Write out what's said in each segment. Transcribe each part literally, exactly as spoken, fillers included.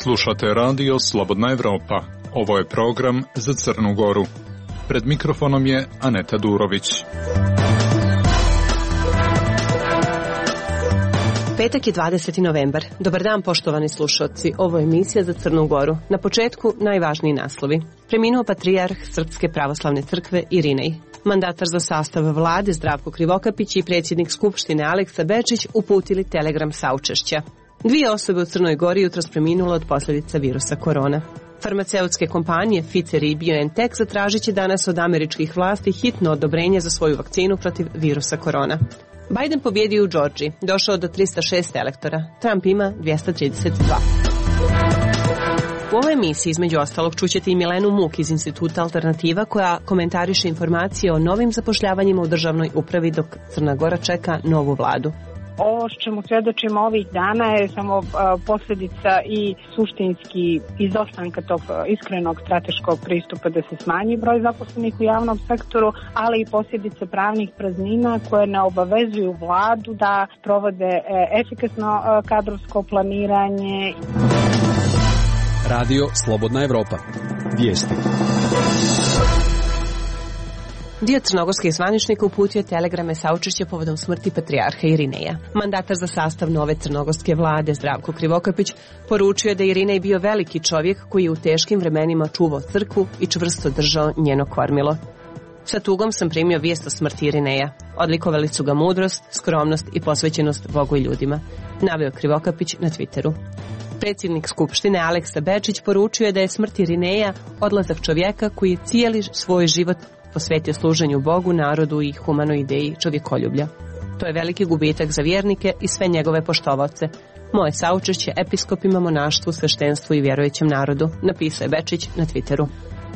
Slušate radio Slobodna Evropa. Ovo je program za Crnu Goru. Pred mikrofonom je Aneta Durović. Petak je dvadeseti novembar. Dobar dan, poštovani slušalci. Ovo je emisija za Crnu Goru. Na početku najvažniji naslovi. Preminuo patrijarh Srpske pravoslavne crkve Irinej. Mandatar za sastav vlade Zdravko Krivokapić i predsjednik Skupštine Aleksa Bečić uputili telegram saučešća. Dvije osobe u Crnoj Gori jutros preminule od posljedica virusa korona. Farmaceutske kompanije Pfizer i BioNTech zatražit će danas od američkih vlasti hitno odobrenje za svoju vakcinu protiv virusa korona. Biden pobjedio u Džordžiji, došao do tristo šest elektora, Trump ima dvjesto trideset dva. U ovoj emisiji između ostalog čućete i Milenu Muk iz Instituta Alternativa koja komentariše informacije o novim zapošljavanjima u državnoj upravi dok Crna Gora čeka novu vladu. Ovo što čemu svjedočimo ovih dana je samo uh, posljedica i suštinski izostanka tog iskrenog strateškog pristupa da se smanji broj zaposlenih u javnom sektoru, ali i posljedice pravnih praznina koje ne obavezuju vladu da provode uh, efikasno uh, kadrovsko planiranje. Radio Slobodna Evropa. Vijesti. Dio crnogorskih zvaničnika uputio telegrame saučešća povodom smrti patrijarha Irineja. Mandatar za sastav nove crnogorske vlade Zdravko Krivokapić poručio je da je Irinej bio veliki čovjek koji je u teškim vremenima čuvao crkvu i čvrsto držao njeno kormilo. Sa tugom sam primio vijest o smrti Irineja. Odlikovali su ga mudrost, skromnost i posvećenost Bogu i ljudima, naveo Krivokapić na Twitteru. Predsjednik Skupštine Aleksa Bečić poručio je da je smrt Irineja odlazak čovjeka koji je cijeli svoj život posvetio služenju Bogu, narodu i humanoj ideji čovjekoljublja. To je veliki gubitak za vjernike i sve njegove poštovaoce. Moje saučešće episkopima, monaštvu, sveštenstvu i vjerujućem narodu, napisao je Bečić na Twitteru.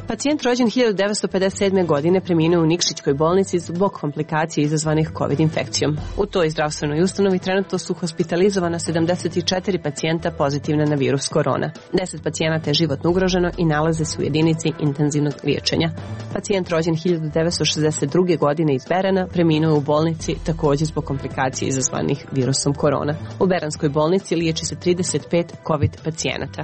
Pacijent rođen hiljadu devetsto pedeset sedme. godine preminuo u Nikšićkoj bolnici zbog komplikacije izazvanih COVID infekcijom. U toj zdravstvenoj ustanovi trenutno su hospitalizovana sedamdeset četiri pacijenta pozitivna na virus korona. deset pacijenata je životno ugroženo i nalaze se u jedinici intenzivnog liječenja. Pacijent rođen hiljadu devetsto šezdeset druge. godine iz Berana preminuo je u bolnici također zbog komplikacije izazvanih virusom korona. U Beranskoj bolnici liječi se trideset pet COVID pacijenata.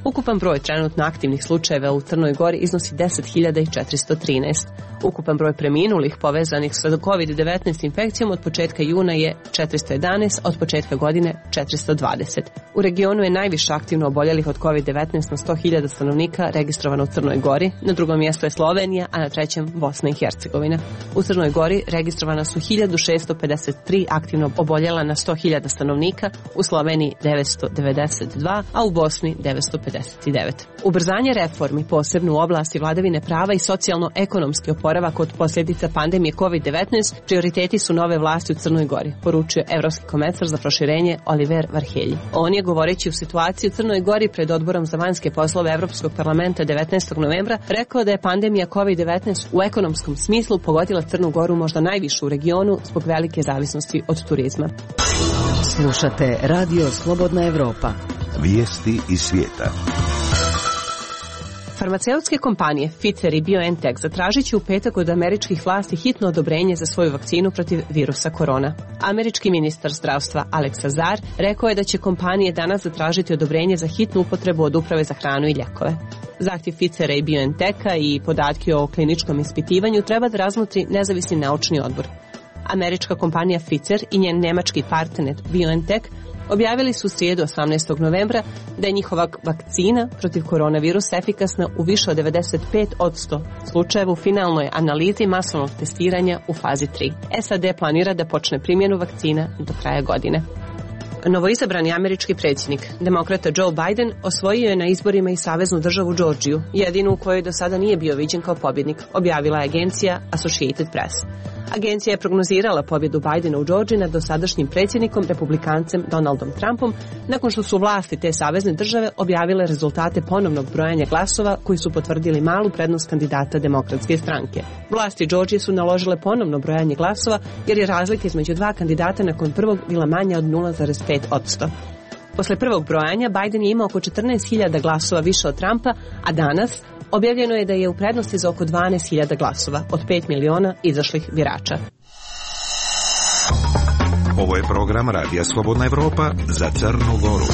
Ukupan broj trenutno aktivnih slučajeva u Crnoj Gori iznosi deset hiljada četiristo trinaest. Ukupan broj preminulih povezanih sa kovid devetnaest infekcijom od početka juna je četiristo jedanaest, a od početka godine četiristo dvadeset. U regionu je najviše aktivno oboljelih od kovid devetnaest na sto hiljada stanovnika registrovano u Crnoj Gori, na drugom mjestu je Slovenija, a na trećem Bosna i Hercegovina. U Crnoj Gori registrovana su hiljadu šesto pedeset tri aktivno oboljela na sto hiljada stanovnika, u Sloveniji devetsto devedeset dva, a u Bosni devetsto pedeset devet. Ubrzanje reformi, posebno u oblasti vladavine prava i socijalno-ekonomski oporavak od posljedica pandemije kovid devetnaest, prioriteti su nove vlasti u Crnoj Gori, poručuje evropski komesar za proširenje Oliver Varhelji. On je, govoreći u situaciji u Crnoj Gori pred odborom za vanjske poslove Evropskog parlamenta devetnaestog novembra, rekao da je pandemija kovid devetnaest u ekonomskom smislu pogodila Crnu Goru možda najviše u regionu zbog velike zavisnosti od turizma. Slušate Radio Slobodna Evropa. Vijesti iz svijeta. Farmaceutske kompanije Pfizer i BioNTech zatražit će u petak od američkih vlasti hitno odobrenje za svoju vakcinu protiv virusa korona. Američki ministar zdravstva Alex Azar rekao je da će kompanije danas zatražiti odobrenje za hitnu upotrebu od Uprave za hranu i lijekove. Zahtjev Pfizera i BioNTecha i podatke o kliničkom ispitivanju treba da razmotri nezavisni naučni odbor. Američka kompanija Pfizer i njen njemački partner BioNTech objavili su srijedu osamnaestog novembra da je njihova vakcina protiv koronavirusa efikasna u više od devedeset pet posto slučajeva u finalnoj analizi masovnog testiranja u fazi tri. S A D planira da počne primjenu vakcina do kraja godine. Novoizabrani američki predsjednik, demokrata Joe Biden, osvojio je na izborima i saveznu državu Džordžiju, jedinu u kojoj do sada nije bio viđen kao pobjednik, objavila je agencija Associated Press. Agencija je prognozirala pobjedu Bidena u Džordžiji nad dosadašnjim predsjednikom, republikancem Donaldom Trumpom, nakon što su vlasti te savezne države objavile rezultate ponovnog brojanja glasova koji su potvrdili malu prednost kandidata demokratske stranke. Vlasti Džordžije su naložile ponovno brojanje glasova jer je razlika između dva kandidata nakon prvog bila manja od nula zarez pet posto. Posle prvog brojanja Biden je imao oko četrnaest hiljada glasova više od Trumpa, a danas objavljeno je da je u prednosti za oko dvanaest hiljada glasova od pet miliona izašlih birača. Ovo je program Radija Slobodna Evropa za Crnu Goru.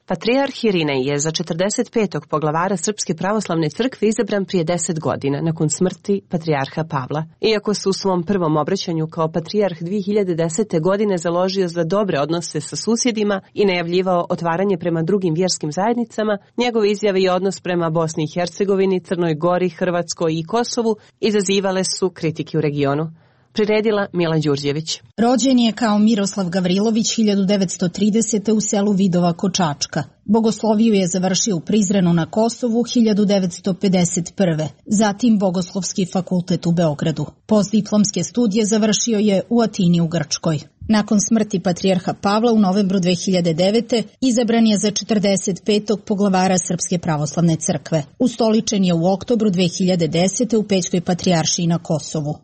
Patrijarh Irinej je za četrdeset petog poglavara Srpske pravoslavne crkve izabran prije deset godina nakon smrti patrijarha Pavla. Iako se u svom prvom obraćanju kao patrijarh dvije hiljade desete. godine založio za dobre odnose sa susjedima i najavljivao otvaranje prema drugim vjerskim zajednicama, njegove izjave i odnos prema Bosni i Hercegovini, Crnoj Gori, Hrvatskoj i Kosovu izazivale su kritike u regionu. Priredila Mila Đurđević. Rođen je kao Miroslav Gavrilović hiljadu devetsto tridesete. u selu Vidova kod Čačka. Bogosloviju je završio u Prizrenu na Kosovu hiljadu devetsto pedeset prve. Zatim Bogoslovski fakultet u Beogradu. Postdiplomske studije završio je u Atini u Grčkoj. Nakon smrti patrijarha Pavla u novembru dve hiljade devete. izabran je za četrdeset petog poglavara Srpske pravoslavne crkve. Ustoličen je u oktobru dve hiljade desete. u Pećkoj patrijaršiji na Kosovu.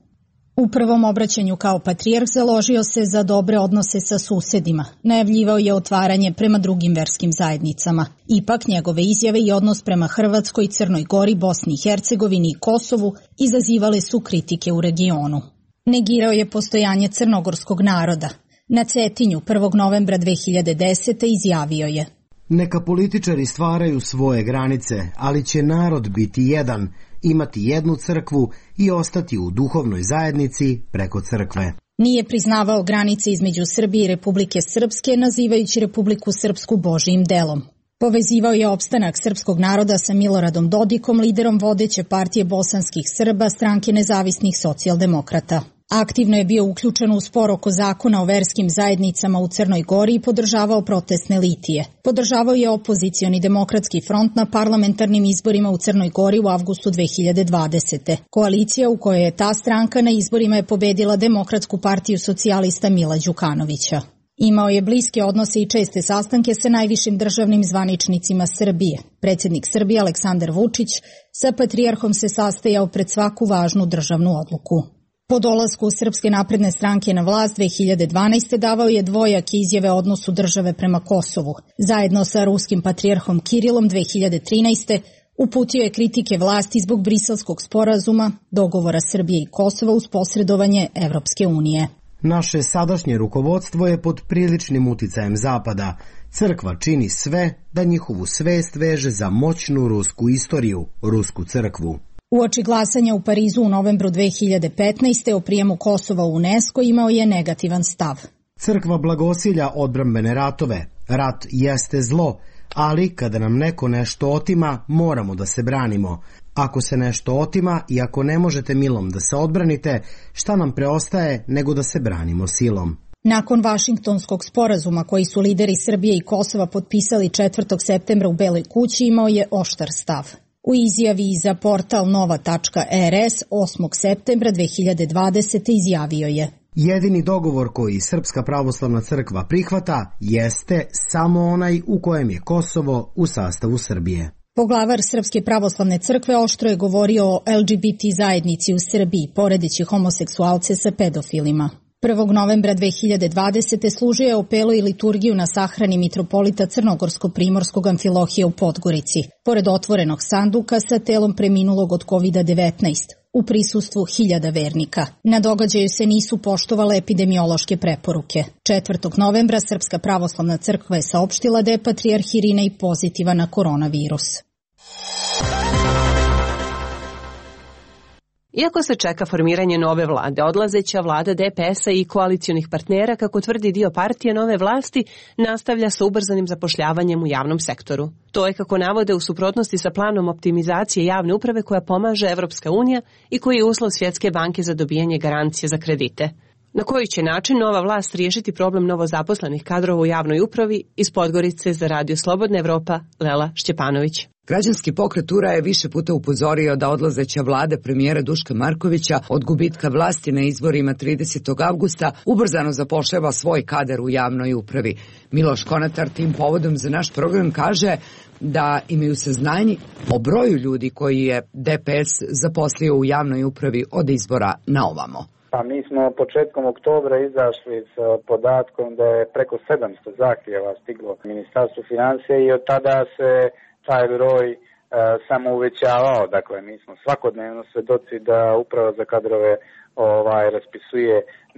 U prvom obraćanju kao patrijarh založio se za dobre odnose sa susedima. Najavljivao je otvaranje prema drugim verskim zajednicama. Ipak njegove izjave i odnos prema Hrvatskoj, Crnoj Gori, Bosni i Hercegovini i Kosovu izazivale su kritike u regionu. Negirao je postojanje crnogorskog naroda. Na Cetinju prvog novembra dve hiljade desete. izjavio je: Neka političari stvaraju svoje granice, ali će narod biti jedan, imati jednu crkvu i ostati u duhovnoj zajednici preko crkve. Nije priznavao granice između Srbije i Republike Srpske, nazivajući Republiku Srpsku Božijim delom. Povezivao je opstanak srpskog naroda sa Miloradom Dodikom, liderom vodeće partije bosanskih Srba, stranke nezavisnih socijaldemokrata. Aktivno je bio uključen u spor oko zakona o verskim zajednicama u Crnoj Gori i podržavao protestne litije. Podržavao je opozicioni demokratski front na parlamentarnim izborima u Crnoj Gori u avgustu dve hiljade dvadesete. Koalicija u kojoj je ta stranka na izborima je pobedila Demokratsku partiju socijalista Mila Đukanovića. Imao je bliske odnose i česte sastanke sa najvišim državnim zvaničnicima Srbije. Predsjednik Srbije Aleksandar Vučić sa patrijarhom se sastajao pred svaku važnu državnu odluku. Po dolasku Srpske napredne stranke na vlast dve hiljade dvanaeste. davao je dvojake izjave o odnosu države prema Kosovu. Zajedno sa ruskim patrijarhom Kirilom dve hiljade trinaeste. uputio je kritike vlasti zbog Briselskog sporazuma, dogovora Srbije i Kosova uz posredovanje Evropske unije. Naše sadašnje rukovodstvo je pod priličnim uticajem Zapada. Crkva čini sve da njihovu svest veže za moćnu rusku istoriju, rusku crkvu. Uoči glasanja u Parizu u novembru dve hiljade petnaeste. o prijemu Kosova u UNESCO imao je negativan stav. Crkva blagosilja odbrambene ratove. Rat jeste zlo, ali kada nam neko nešto otima, moramo da se branimo. Ako se nešto otima i ako ne možete milom da se odbranite, šta nam preostaje nego da se branimo silom? Nakon Vašingtonskog sporazuma koji su lideri Srbije i Kosova potpisali četvrtog septembra u Beloj kući imao je oštar stav. U izjavi za portal nova tačka er es osmog septembra dve hiljade dvadesete. izjavio je: Jedini dogovor koji Srpska pravoslavna crkva prihvata jeste samo onaj u kojem je Kosovo u sastavu Srbije. Poglavar Srpske pravoslavne crkve oštro je govorio o el ge be te zajednici u Srbiji, poredeći homoseksualce sa pedofilima. prvog novembra dve hiljade dvadesete. služio je opelo i liturgiju na sahrani mitropolita Crnogorsko-primorskog Amfilohija u Podgorici, pored otvorenog sanduka sa telom preminulog od kovid devetnaest, u prisustvu hiljada vernika. Na događaju se nisu poštovale epidemiološke preporuke. četvrtog novembra Srpska pravoslavna crkva je saopštila da je patrijarh Irinej pozitivan na koronavirus. Iako se čeka formiranje nove vlade, odlazeća vlada de pe es a i koalicionih partnera, kako tvrdi dio partije nove vlasti, nastavlja sa ubrzanim zapošljavanjem u javnom sektoru. To je, kako navode, u suprotnosti sa planom optimizacije javne uprave koja pomaže Evropska unija i koji je uslov Svjetske banke za dobijanje garancije za kredite. Na koji će način nova vlast riješiti problem novozaposlenih kadrova u javnoj upravi? Iz Podgorice za Radio Slobodna Evropa, Lela Šćepanović. Građanski pokret U R A je više puta upozorio da odlazeća vlada premijera Duška Markovića od gubitka vlasti na izborima tridesetog avgusta ubrzano zapošljava svoj kadar u javnoj upravi. Miloš Konatar tim povodom za naš program kaže da imaju saznanje o broju ljudi koji je de pe es zaposlio u javnoj upravi od izbora na ovamo. Pa mi smo početkom oktobra izašli s podatkom da je preko sedamsto zahtjeva stiglo Ministarstvu financija i od tada se taj broj e, samo uvećavao. Dakle, mi smo svakodnevno svedoci da Uprava za kadrove ovaj, raspisuje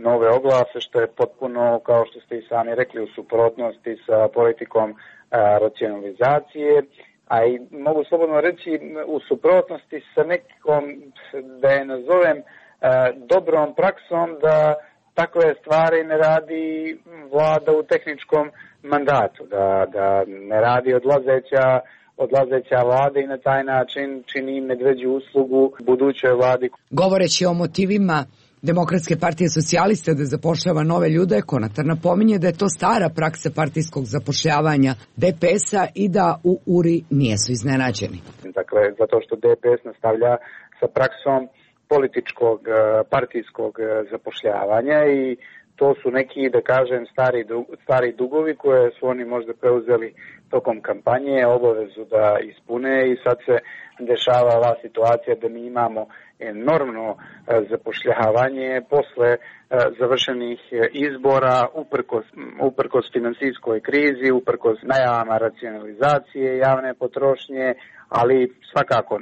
nove oglase, što je potpuno, kao što ste i sami rekli, u suprotnosti sa politikom racionalizacije, a i mogu slobodno reći u suprotnosti sa nekom, da je nazovem, dobrom praksom da takve stvari ne radi vlada u tehničkom mandatu, da, da ne radi odlazeća, odlazeća vlada i na taj način čini medveđu uslugu budućoj vladi. Govoreći o motivima Demokratske partije socijaliste da zapošljava nove ljude, Konatar napominje da je to stara praksa partijskog zapošljavanja D P S-a i da u U R I nijesu iznenađeni. Dakle, zato što D P S nastavlja sa praksom političkog partijskog zapošljavanja i to su neki, da kažem, stari, stari dugovi koje su oni možda preuzeli tokom kampanje, obavezu da ispune i sad se dešava ova situacija da mi imamo enormno zapošljavanje posle završenih izbora, uprkos, uprkos finansijskoj krizi, uprkos najavama racionalizacije javne potrošnje, ali svakako,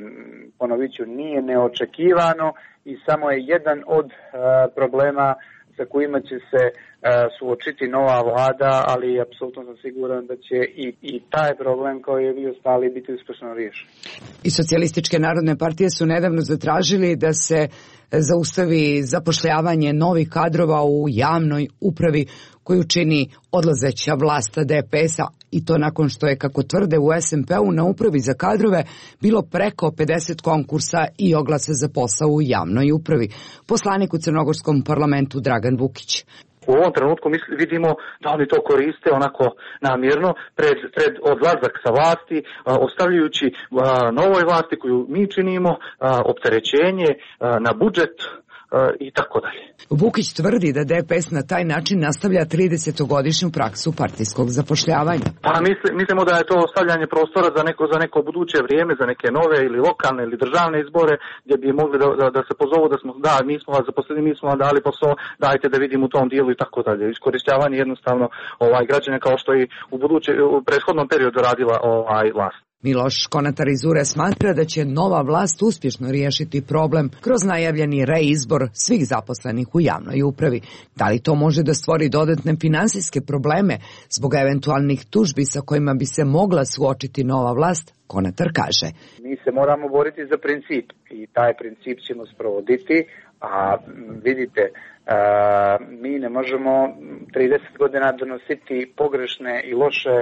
ponovit ću, nije neočekivano i samo je jedan od problema sa kojima će se uh, suočiti nova vlada, ali apsolutno sam siguran da će i, i taj problem kao je vi ostali biti uspešno riješen. I Socijalističke narodne partije su nedavno zatražili da se zaustavi zapošljavanje novih kadrova u javnoj upravi koju čini odlazeća vlasta D P S-a i to nakon što je, kako tvrde u S N P-u, na upravi za kadrove bilo preko pedeset konkursa i oglasa za posao u javnoj upravi. Poslanik u crnogorskom parlamentu Dragan Vukić. U ovom trenutku vidimo da oni to koriste onako namjerno pred, pred odlazak sa vlasti, ostavljajući novoj vlasti koju mi činimo opterećenje na budžet i tako dalje. Vukić tvrdi da D P S na taj način nastavlja tridesetogodišnju praksu partijskog zapošljavanja. Pa misli, mislimo da je to ostavljanje prostora za neko, za neko buduće vrijeme, za neke nove ili lokalne ili državne izbore gdje bi mogli da, da, da se pozovu da smo, da, mi smo vas zaposlili, mi smo vam dali posao, dajte da vidimo u tom dijelu i tako dalje. Iskorištavanje jednostavno ovaj građane kao što i u buduće, u prethodnom periodu radila ovaj vlast. Miloš Konatar iz U R E smatra da će nova vlast uspješno riješiti problem kroz najavljeni reizbor svih zaposlenih u javnoj upravi. Da li to može da stvori dodatne finansijske probleme zbog eventualnih tužbi sa kojima bi se mogla suočiti nova vlast? Konatar kaže. Mi se moramo boriti za princip i taj princip ćemo sprovoditi, a vidite, a, mi ne možemo trideset godina donositi pogrešne i loše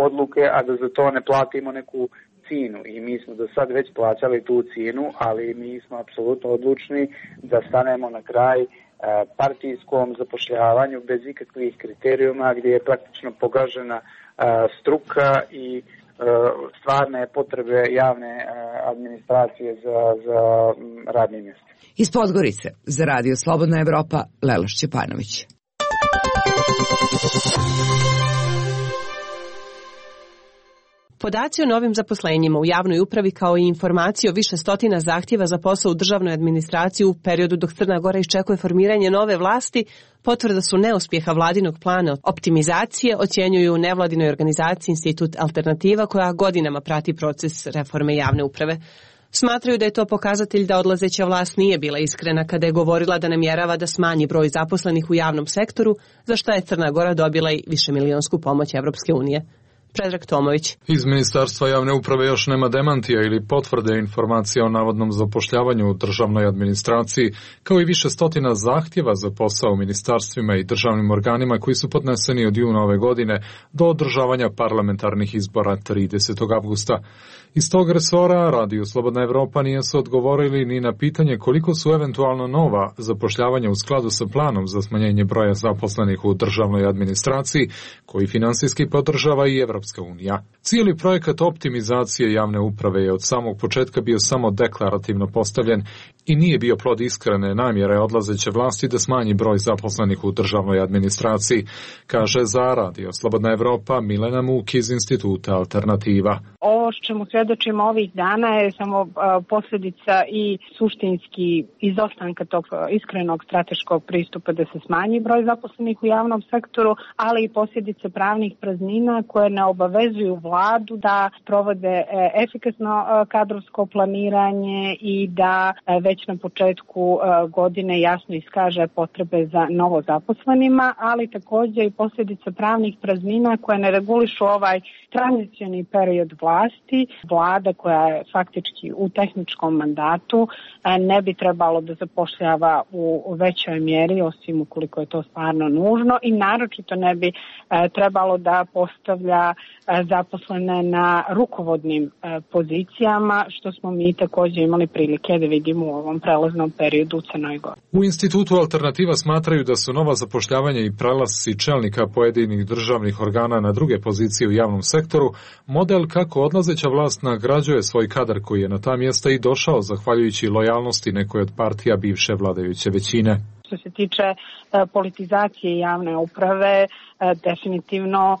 odluke, a da za to ne platimo neku cijenu. I mi smo do sad već plaćali tu cijenu, ali mi smo apsolutno odlučni da stanemo na kraj partijskom zapošljavanju bez ikakvih kriterijuma gdje je praktično pogažena struka i stvarne potrebe javne administracije za, za radnim mjestima. Iz Podgorice za Radio Slobodna Evropa, Leloš Čepanović. Podaci o novim zaposlenjima u javnoj upravi kao i informacije o više stotina zahtjeva za posao u državnoj administraciji u periodu dok Crna Gora iščekuje formiranje nove vlasti potvrda su neuspjeha vladinog plana optimizacije, ocjenjuju u nevladinoj organizaciji Institut Alternativa koja godinama prati proces reforme javne uprave. Smatraju da je to pokazatelj da odlazeća vlast nije bila iskrena kada je govorila da namjerava da smanji broj zaposlenih u javnom sektoru, za što je Crna Gora dobila i višemilionsku pomoć Evropske unije. Predrag Tomović. Iz Ministarstva javne uprave još nema demantija ili potvrde informacija o navodnom zapošljavanju u državnoj administraciji, kao i više stotina zahtjeva za posao u ministarstvima i državnim organima koji su podneseni od juna ove godine do održavanja parlamentarnih izbora tridesetog avgusta. Iz tog resora Radio Slobodna Evropa nije su odgovorili ni na pitanje koliko su eventualno nova zapošljavanja u skladu sa planom za smanjenje broja zaposlenih u državnoj administraciji, koji finansijski podržava i Evropska unija. Cijeli projekat optimizacije javne uprave je od samog početka bio samo deklarativno postavljen i nije bio plod iskrene namjere odlazeće vlasti da smanji broj zaposlenih u državnoj administraciji, kaže za Radio Slobodna Evropa Milena Muk iz Instituta Alternativa. Ovo što čemu svjedočimo ovih dana je samo posljedica i suštinski izostanka tog iskrenog strateškog pristupa da se smanji broj zaposlenih u javnom sektoru, ali i posljedice pravnih praznina koje ne obavezuju vladu da provode efikasno kadrovsko planiranje i da već na početku godine jasno iskaže potrebe za novo zaposlenima, ali također i posljedica pravnih praznina koje ne regulišu ovaj tranzicioni period vlasti. Vlada koja je faktički u tehničkom mandatu ne bi trebalo da zapošljava u većoj mjeri, osim ukoliko je to stvarno nužno, i naročito ne bi trebalo da postavlja zaposlene na rukovodnim pozicijama, što smo mi također imali prilike da vidimo u ovom prelaznom periodu u Crnoj Gori. U Institutu Alternativa smatraju da su nova zapošljavanja i prelasci čelnika pojedinih državnih organa na druge pozicije u javnom sektoru model kako odlazeća vlast nagrađuje svoj kadar koji je na ta mjesta i došao zahvaljujući lojalnosti nekoj od partija bivše vladajuće većine. Što se tiče politizacije javne uprave, definitivno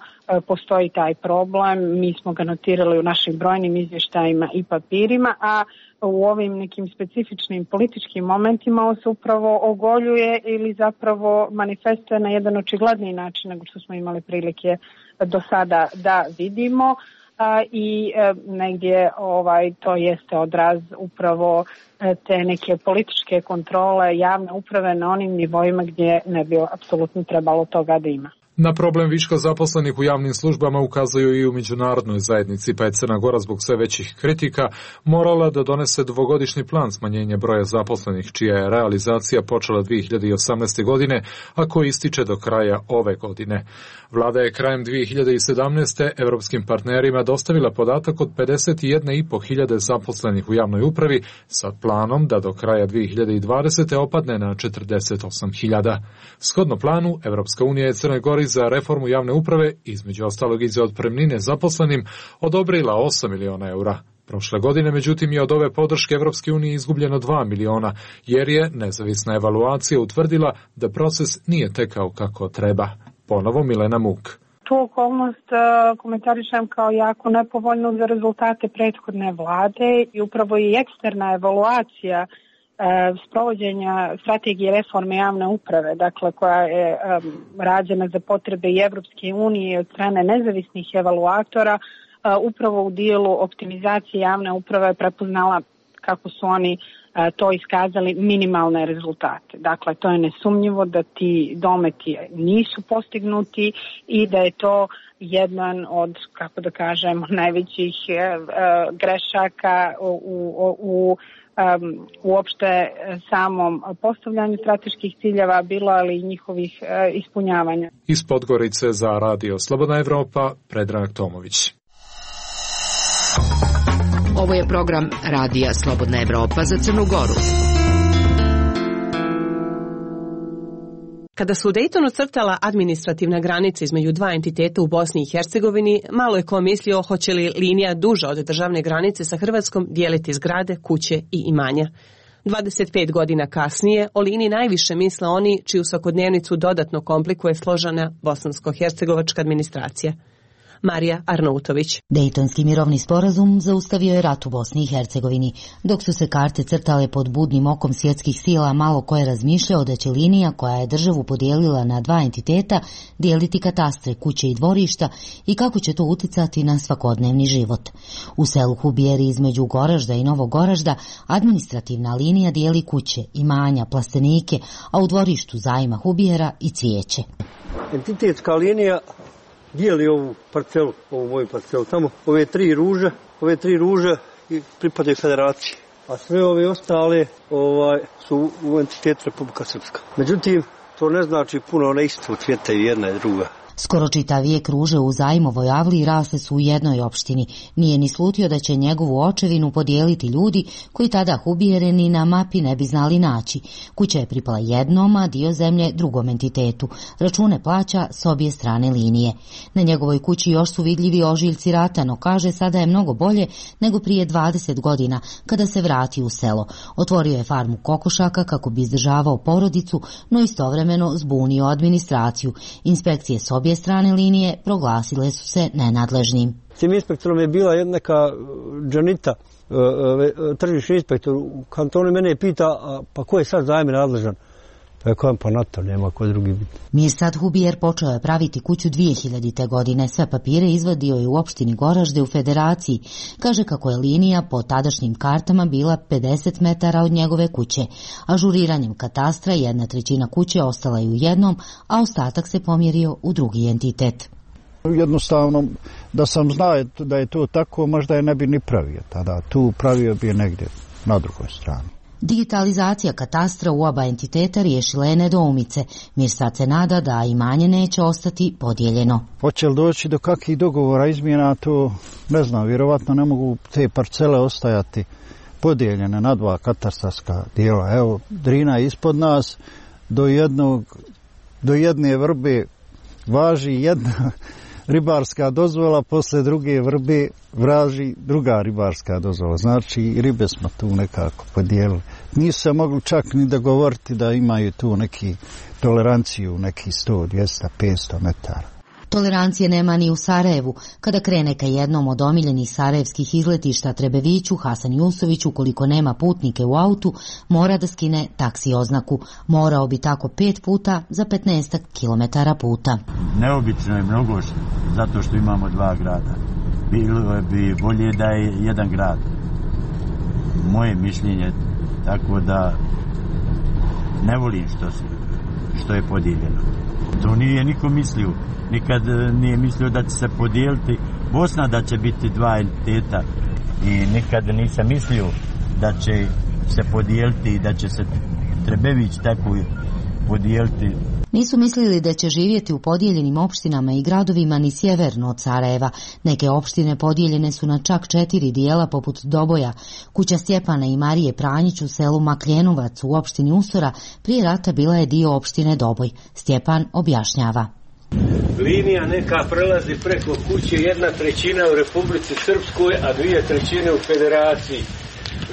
postoji taj problem. Mi smo ga notirali u našim brojnim izvještajima i papirima, a u ovim nekim specifičnim političkim momentima on se upravo ogoljuje ili zapravo manifestuje na jedan očigledniji način nego što smo imali prilike do sada da vidimo. A, i e, negdje ovaj, to jeste odraz upravo e, te neke političke kontrole javne uprave na onim nivoima gdje ne bi apsolutno trebalo toga da ima. Na problem viška zaposlenih u javnim službama ukazuju i u međunarodnoj zajednici, pa je Crna Gora zbog sve većih kritika morala da donese dvogodišnji plan smanjenja broja zaposlenih, čija je realizacija počela dvije hiljade osamnaeste. godine, a koji ističe do kraja ove godine. Vlada je krajem dvije hiljade sedamnaeste. evropskim partnerima dostavila podatak od pedeset jedna i po hiljade zaposlenih u javnoj upravi sa planom da do kraja dvije hiljade dvadesete. opadne na četrdeset osam hiljada. Shodno planu, Evropska unija je Crnoj Gori za reformu javne uprave, između ostalog i za otpremnine zaposlenim, odobrila osam miliona eura. Prošle godine, međutim, je od ove podrške Evropske unije izgubljeno dva miliona, jer je nezavisna evaluacija utvrdila da proces nije tekao kako treba. Ponovo Milena Muk. Tu okolnost komentarišem kao jako nepovoljnu za rezultate prethodne vlade i upravo i eksterna evaluacija sprovođenja strategije reforme javne uprave, dakle koja je um, rađena za potrebe i Evropske unije od strane nezavisnih evaluatora, uh, upravo u dijelu optimizacije javne uprave prepoznala kako su oni uh, to iskazali minimalne rezultate. Dakle, to je nesumnjivo da ti dometi nisu postignuti i da je to jedan od, kako da kažem, najvećih uh, grešaka u, u, u Um, uopšte samom postavljanju strateških ciljeva bilo, ali i njihovih uh, ispunjavanja. Iz Podgorice za Radio Slobodna Evropa, Predrag Tomović. Ovo je program Radija Slobodna Evropa za Crnu Goru. Kada su u Dejtonu crtala administrativna granica između dva entiteta u Bosni i Hercegovini, malo je ko mislio hoće li linija duža od državne granice sa Hrvatskom dijeliti zgrade, kuće i imanja. dvadeset pet godina kasnije o liniji najviše misle oni čiju svakodnevnicu dodatno komplikuje složena bosansko-hercegovačka administracija. Marija Arnautović. Dejtonski mirovni sporazum zaustavio je rat u Bosni i Hercegovini. Dok su se karte crtale pod budnim okom svjetskih sila, malo ko je razmišljao da će linija koja je državu podijelila na dva entiteta dijeliti katastre, kuće i dvorišta i kako će to uticati na svakodnevni život. U selu Hubijeri između Goražda i Novog Goražda administrativna linija dijeli kuće, imanja, plastenike, a u dvorištu zajma Hubijera i cvijeće. Entitetska linija dijeli ovu parcelu, ovu moju parcelu, tamo ove tri ruže, ove tri ruže i pripadaju federaciji, a sve ove ostale ovaj, su u entitetu Republika Srpska. Međutim, to ne znači puno, one isto cvjetaju jedna i druga. Skoro čitav vijek ruže u Zajmovoj avliji rasle su u jednoj opštini. Nije ni slutio da će njegovu očevinu podijeliti ljudi koji tada Hubijere ni na mapi ne bi znali naći. Kuća je pripala jednom, a dio zemlje drugom entitetu. Račune plaća s obje strane linije. Na njegovoj kući još su vidljivi ožiljci rata, no kaže sada je mnogo bolje nego prije dvadeset godina kada se vrati u selo. Otvorio je farmu kokošaka kako bi izdržavao porodicu, no istovremeno zbunio administraciju. Inspekcije s obje strane linije proglasile su se nenadležnim. Tim inspektorom je bila jedna neka Džanita, tržišni inspektor u kantonu, mene pita, pa ko je sad za ime nadležan? Rekao pa na to, nema ko drugi biti. Mirsad Hubijer počeo je praviti kuću dvije hiljadite. godine. Sve papire izvadio je u opštini Goražde u Federaciji. Kaže kako je linija po tadašnjim kartama bila pedeset metara od njegove kuće. Ažuriranjem katastra jedna trećina kuće ostala je u jednom, a ostatak se pomjerio u drugi entitet. Jednostavno, da sam znao da je to tako, možda je ne bi ni pravio tada. Tu pravio bi je negdje na drugoj strani. Digitalizacija katastra u oba entiteta riješila je nedoumice. Mirsad se nada da imanje neće ostati podijeljeno. Hoće li doći do kakvih dogovora izmjena, to ne znam, vjerovatno ne mogu te parcele ostajati podijeljene na dva katastarska dijela. Evo, Drina je ispod nas, do, jednog, do jedne vrbe važi jedna ribarska dozvola, posle druge vrbe vraži druga ribarska dozvola. Znači, ribe smo tu nekako podijelili. Nisu se mogli čak ni dogovoriti da imaju tu neki toleranciju, neki sto, dvjesto, petsto metara. Tolerancije nema ni u Sarajevu. Kada krene ka jednom od omiljenih sarajevskih izletišta Trebeviću, Hasan Jusović, ukoliko nema putnike u autu, mora da skine taksi oznaku. Morao bi tako pet puta za petnaest kilometara puta. Neobično je mnogo, zato što imamo dva grada. Bilo bi bolje da je jedan grad. Moje mišljenje, tako da ne volim što, što je podijeljeno. To nije niko mislio. Nikad nije mislio da će se podijeliti Bosna, da će biti dva entiteta, i nikad nisam mislio da će se podijeliti i da će se Trebević tako podijeliti. Nisu mislili da će živjeti u podijeljenim opštinama i gradovima ni sjeverno od Sarajeva. Neke opštine podijeljene su na čak četiri dijela poput Doboja. Kuća Stjepana i Marije Pranjić u selu Makljenovac u opštini Usora prije rata bila je dio opštine Doboj. Stjepan objašnjava. Linija neka prelazi preko kuće, jedna trećina u Republici Srpskoj, a dvije trećine u Federaciji.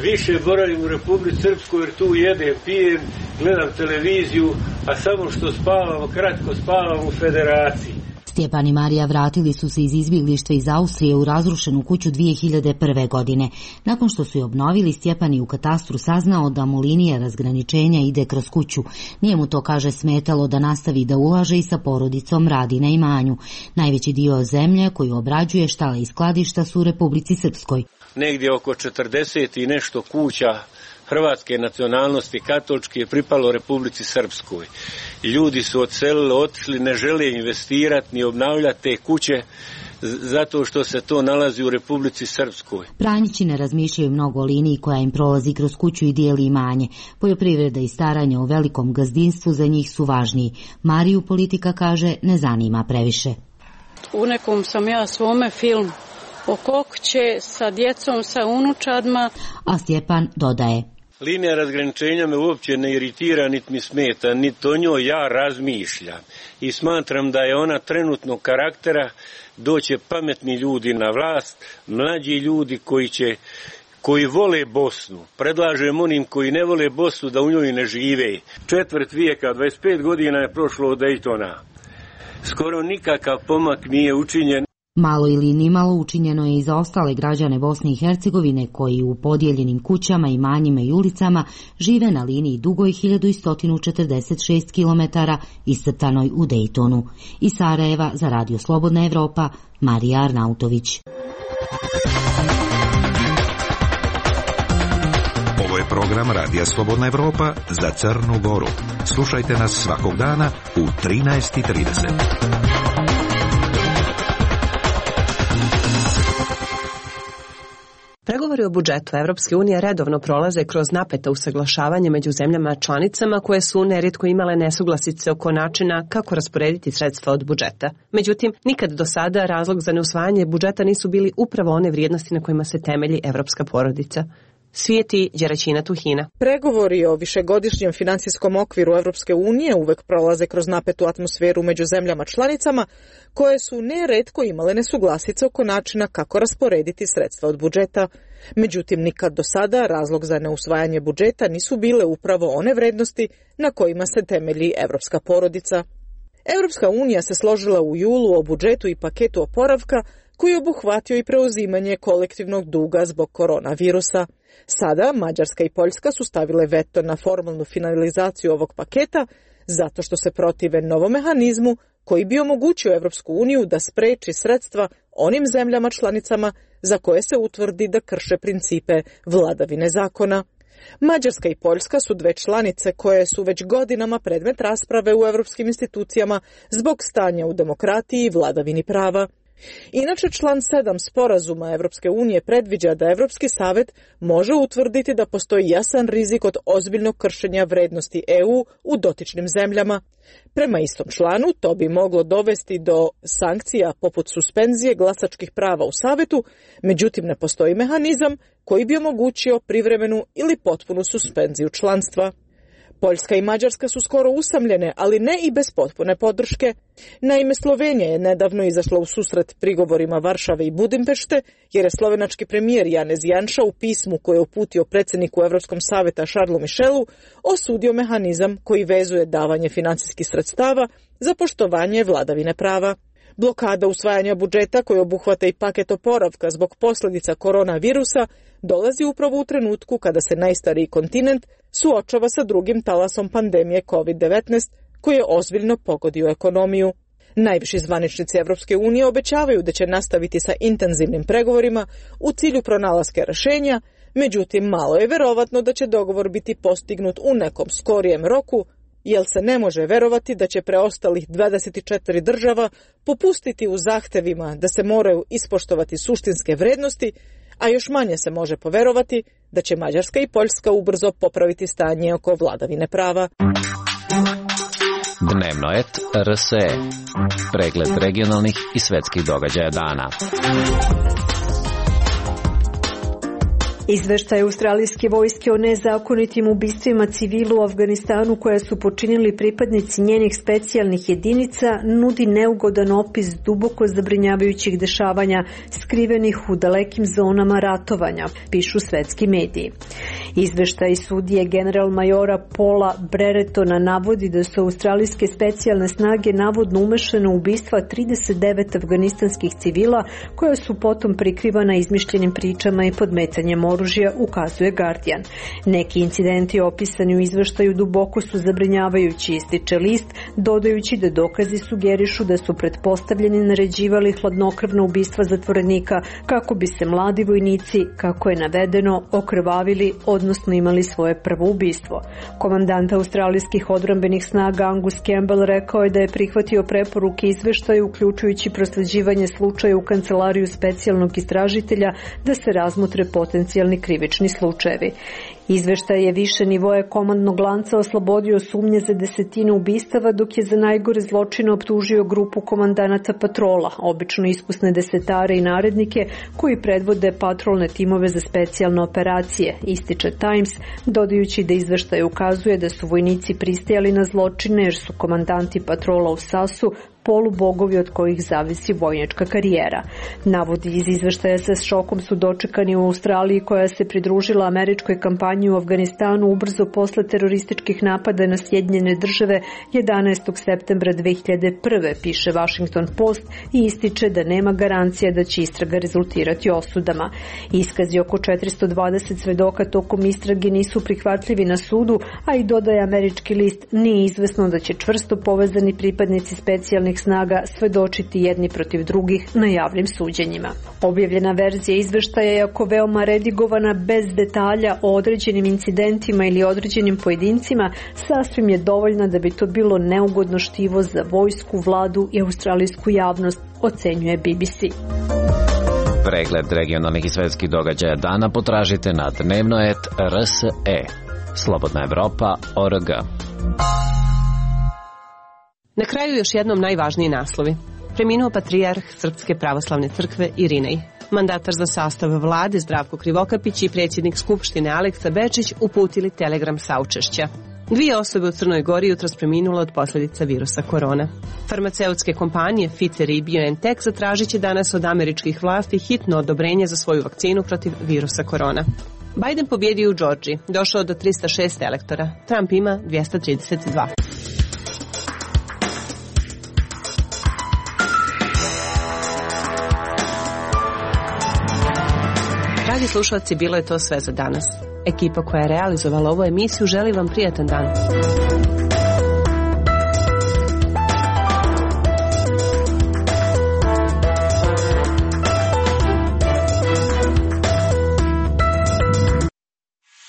Više boravim u Republici Srpskoj jer tu jedem, pijem, gledam televiziju, a samo što spavam, kratko spavam u Federaciji. Stjepan i Marija vratili su se iz izbjeglištva iz Austrije u razrušenu kuću dvije hiljade prve. godine. Nakon što su je obnovili, Stjepan je u katastru saznao da mu linija razgraničenja ide kroz kuću. Nije mu to, kaže, smetalo da nastavi da ulaže i sa porodicom radi na imanju. Najveći dio zemlje koju obrađuje, štale i skladišta su u Republici Srpskoj. Negdje oko četrdeset i nešto kuća hrvatske nacionalnosti katoličke je pripalo Republici Srpskoj. Ljudi su odselili, otišli, ne žele investirati ni obnavljati te kuće zato što se to nalazi u Republici Srpskoj. Pranjići ne razmišljaju mnogo o liniji koja im prolazi kroz kuću i dijeli imanje. Poljoprivreda i staranje o velikom gazdinstvu za njih su važniji. Mariju politika, kaže, ne zanima previše. U nekom sam ja svome filmu o kokće sa djecom, sa unučadma. A Stjepan dodaje. Linija razgraničenja me uopće ne iritira, niti mi smeta, niti o njoj ja razmišljam. I smatram da je ona trenutnog karaktera, doće pametni ljudi na vlast, mlađi ljudi koji će, koji vole Bosnu. Predlažem onim koji ne vole Bosnu da u njoj ne žive. Četvrt vijeka, dvadeset pet godina je prošlo od Daytona. Skoro nikakav pomak nije učinjen. Malo ili ni malo učinjeno je i za ostale građane Bosne i Hercegovine koji u podijeljenim kućama, imanjima i ulicama žive na liniji dugoj hiljadu sto četrdeset šest kilometara iscrtanoj u Daytonu. Iz Sarajeva za Radio Slobodna Evropa, Marija Arnautović. Ovo je program Radija Slobodna Evropa za Crnu Goru. Slušajte nas svakog dana u trinaest i trideset. Pregovori o budžetu Evropske unije redovno prolaze kroz napeta usaglašavanje među zemljama članicama koje su nerijetko imale nesuglasice oko načina kako rasporediti sredstva od budžeta. Međutim, nikad do sada razlog za neusvajanje budžeta nisu bili upravo one vrijednosti na kojima se temelji evropska porodica. Svijeti Đeraćina Tuhina. Pregovori o višegodišnjem finansijskom okviru Evropske unije uvek prolaze kroz napetu atmosferu među zemljama članicama koje su neretko imale nesuglasice oko načina kako rasporediti sredstva od budžeta. Međutim, nikad do sada razlog za neusvajanje budžeta nisu bile upravo one vrednosti na kojima se temelji evropska porodica. Evropska unija se složila u julu o budžetu i paketu oporavka koji je obuhvatio i preuzimanje kolektivnog duga zbog koronavirusa. Sada Mađarska i Poljska su stavile veto na formalnu finalizaciju ovog paketa zato što se protive novom mehanizmu koji bi omogućio Evropsku uniju da spreči sredstva onim zemljama članicama za koje se utvrdi da krše principe vladavine zakona. Mađarska i Poljska su dve članice koje su već godinama predmet rasprave u evropskim institucijama zbog stanja u demokratiji i vladavini prava. Inače, član sedam sporazuma Evropske unije predviđa da Evropski savet može utvrditi da postoji jasan rizik od ozbiljnog kršenja vrednosti E U u dotičnim zemljama. Prema istom članu, to bi moglo dovesti do sankcija poput suspenzije glasačkih prava u savetu, međutim ne postoji mehanizam koji bi omogućio privremenu ili potpunu suspenziju članstva. Poljska i Mađarska su skoro usamljene, ali ne i bez potpune podrške. Naime, Slovenija je nedavno izašla u susret prigovorima Varšave i Budimpešte, jer je slovenački premijer Janez Janša u pismu koje je uputio predsjedniku Evropskog saveta Charlesu Michelu osudio mehanizam koji vezuje davanje financijskih sredstava za poštovanje vladavine prava. Blokada usvajanja budžeta koji obuhvata i paket oporavka zbog posljedica koronavirusa dolazi upravo u trenutku kada se najstariji kontinent suočava sa drugim talasom pandemije kovid devetnaest koji je ozbiljno pogodio ekonomiju. Najviši zvaničnici Evropske unije obećavaju da će nastaviti sa intenzivnim pregovorima u cilju pronalaska rješenja, međutim malo je verovatno da će dogovor biti postignut u nekom skorijem roku, jer se ne može verovati da će preostalih dvadeset četiri država popustiti u zahtevima da se moraju ispoštovati suštinske vrednosti, a još manje se može poverovati da će Mađarska i Poljska ubrzo popraviti stanje oko vladavine prava. Dnevno et R S E. Pregled regionalnih i svetskih događaja dana. Izveštaj australijske vojske o nezakonitim ubistvima civila u Afganistanu koje su počinili pripadnici njenih specijalnih jedinica nudi neugodan opis duboko zabrinjavajućih dešavanja skrivenih u dalekim zonama ratovanja, pišu svetski mediji. Izveštaj sudije general majora Paula Breretona navodi da su australijske specijalne snage navodno umešane u ubistva trideset devet afganistanskih civila koja su potom prikrivana izmišljenim pričama i podmetanjem oružja, ukazuje Guardian. Neki incidenti opisani u izveštaju duboko su zabrinjavajući, ističe list, dodajući da dokazi sugerišu da su pretpostavljeni naređivali hladnokrvna ubistva zatvorenika kako bi se mladi vojnici, kako je navedeno, okrvavili, odnosno imali svoje prvo ubistvo. Komandant australijskih odbrambenih snaga Angus Campbell rekao je da je prihvatio preporuke izveštaja, uključujući prosleđivanje slučaja u kancelariju specijalnog istražitelja da se razmotre potencijalni krivični slučajevi. Izveštaj je više nivoje komandnog lanca oslobodio sumnje za desetine ubistava, dok je za najgore zločine optužio grupu komandanata patrola, obično iskusne desetare i narednike koji predvode patrolne timove za specijalne operacije, ističe Times, dodajući da izveštaj ukazuje da su vojnici pristajali na zločine jer su komandanti patrola u Sasu polubogovi od kojih zavisi vojnička karijera. Navodi iz izveštaja sa šokom su dočekani u Australiji koja se pridružila američkoj kampanji u Afganistanu ubrzo posle terorističkih napada na Sjedinjene države jedanaestog septembra dve hiljade prve, piše Washington Post i ističe da nema garancija da će istraga rezultirati osudama. Iskazi oko četiristo dvadeset svedoka tokom istrage nisu prihvatljivi na sudu, a i dodaje američki list, nije izvesno da će čvrsto povezani pripadnici specijalnih snaga svedočiti jedni protiv drugih na javnim suđenjima. Objavljena verzija izveštaja je ako veoma redigovana bez detalja o određenim incidentima ili određenim pojedincima, sasvim je dovoljna da bi to bilo neugodno štivo za vojsku, vladu i australijsku javnost, ocenjuje B B C. Pregled regionalnih i svetskih događaja dana potražite na dnevno et R S E. Slobodna Evropa O R G. Na kraju još jednom najvažniji naslovi. Preminuo patrijarh Srpske pravoslavne crkve Irinej. Mandatar za sastav vlade Zdravko Krivokapić i predsjednik Skupštine Aleksa Bečić uputili telegram saučešća. Dvije osobe u Crnoj Gori jutros preminule od posljedica virusa korona. Farmaceutske kompanije Pfizer i BioNTech zatražit će danas od američkih vlasti hitno odobrenje za svoju vakcinu protiv virusa korona. Biden pobjedio u Džordžiji, došao do tristo šest elektora. Trump ima dvjesto trideset dva. Dragi slušalci, bilo je to sve za danas. Ekipa koja je realizovala ovu emisiju želi vam prijatan dan.